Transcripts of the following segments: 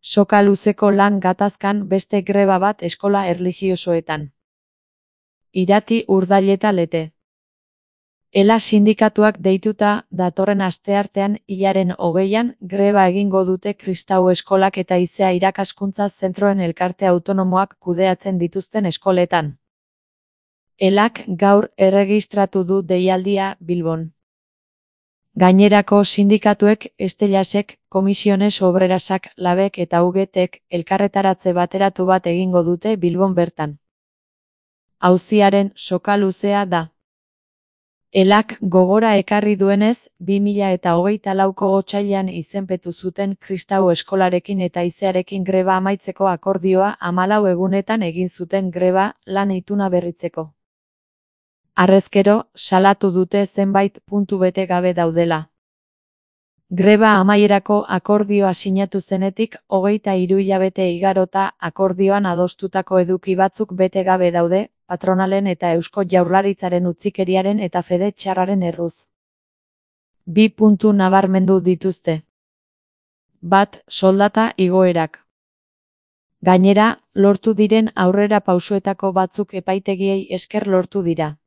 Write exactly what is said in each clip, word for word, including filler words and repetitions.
Soka luzeko lan gatazkan beste greba bat eskola erlijiosoetan. Irati, Urdaileta Lete. Ela sindikatuak deituta datorren asteartean hilaren hogeian greba egingo dute kristau eskolak eta Izea irakaskuntza zentroen elkarte autonomoak kudeatzen dituzten eskoletan. Elak gaur erregistratu du deialdia Bilbon. Gainerako sindikatuek Estelasek, Komisiones Obrerasak, Labek eta U G Tek elkarretaratze bateratu bat egingo dute Bilbon bertan. Auziaren soka luzea da. Elak gogora ekarri duenez, bi mila eta hogeita lauko otsailean izenpetu zuten kristau eskolarekin eta Izearekin greba amaitzeko akordioa hamalau egunetan egin zuten greba lan ituna berritzeko. Harrezkero, salatu dute zenbait puntu bete gabe daudela. Greba amaierako akordioa sinatu zenetik hogeita hiru hilabete igarota akordioan adostutako eduki batzuk bete gabe daude, patronalen eta Eusko Jaurlaritzaren utzikeriaren eta fede txarraren erruz. Bi puntu nabarmendu dituzte. Bat, soldata igoerak. Gainera, lortu diren aurrera pausuetako batzuk epaitegiei esker lortu dira.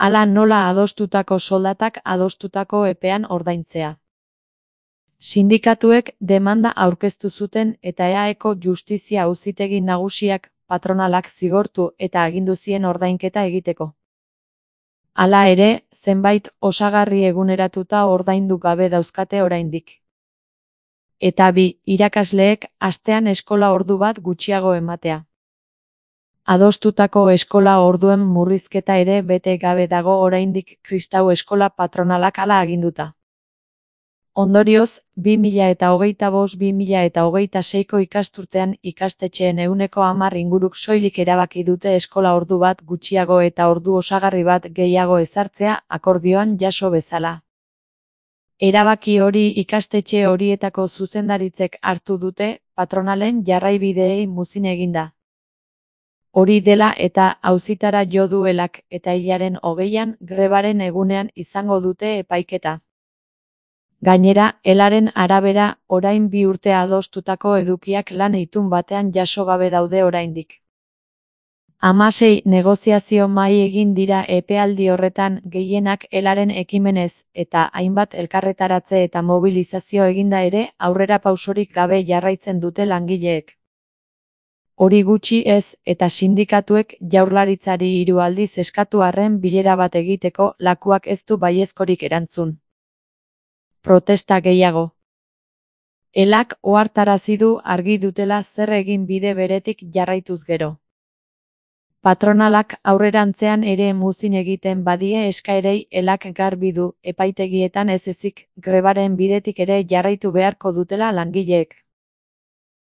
Hala nola adostutako soldatak adostutako epean ordaintzea. Sindikatuek demanda aurkeztu zuten eta E A Eko Justizia Auzitegi Nagusiak patronalak zigortu eta agindu zien ordainketa egiteko. Hala ere, zenbait osagarri eguneratuta ordaindu gabe dauzkate oraindik. Eta bi, irakasleek astean eskola ordu bat gutxiago ematea. Adostutako eskola orduen murrizketa ere bete gabe dago oraindik kristau eskola patronalak hala aginduta. Ondorioz, bi mila eta hogeita bost bi mila eta hogeita seiko ikasturtean ikastetxeen ehuneko hamar inguruk soilik erabaki dute eskola ordu bat gutxiago eta ordu osagarri bat gehiago ezartzea akordioan jaso bezala. Erabaki hori ikastetxe horietako zuzendaritzek hartu dute, patronalen jarraibideei muzin eginda. Hori dela eta auzitara jo du Elak eta hilaren hogeian grebaren egunean izango dute epaiketa. Gainera, Elaren arabera, orain bi urte adostutako edukiak lan itun batean jaso gabe daude oraindik. Hamasei negoziazio mahai egin dira epealdi horretan gehienak Elaren ekimenez eta hainbat elkarretaratze eta mobilizazio eginda ere aurrera pausorik gabe jarraitzen dute langileek. Hori gutxi ez eta sindikatuek Jaurlaritzari hiru aldiz eskatu arren bilera bat egiteko lakuak ez du baiezkorik erantzun. Protesta gehiago. Elak ohartarazi du argi dutela zer egin bide beretik jarraituz gero. Patronalak aurrerantzean ere muzin egiten badie eskaerei Elak garbi du epaitegietan ez ezik grebaren bidetik ere jarraitu beharko dutela langileek.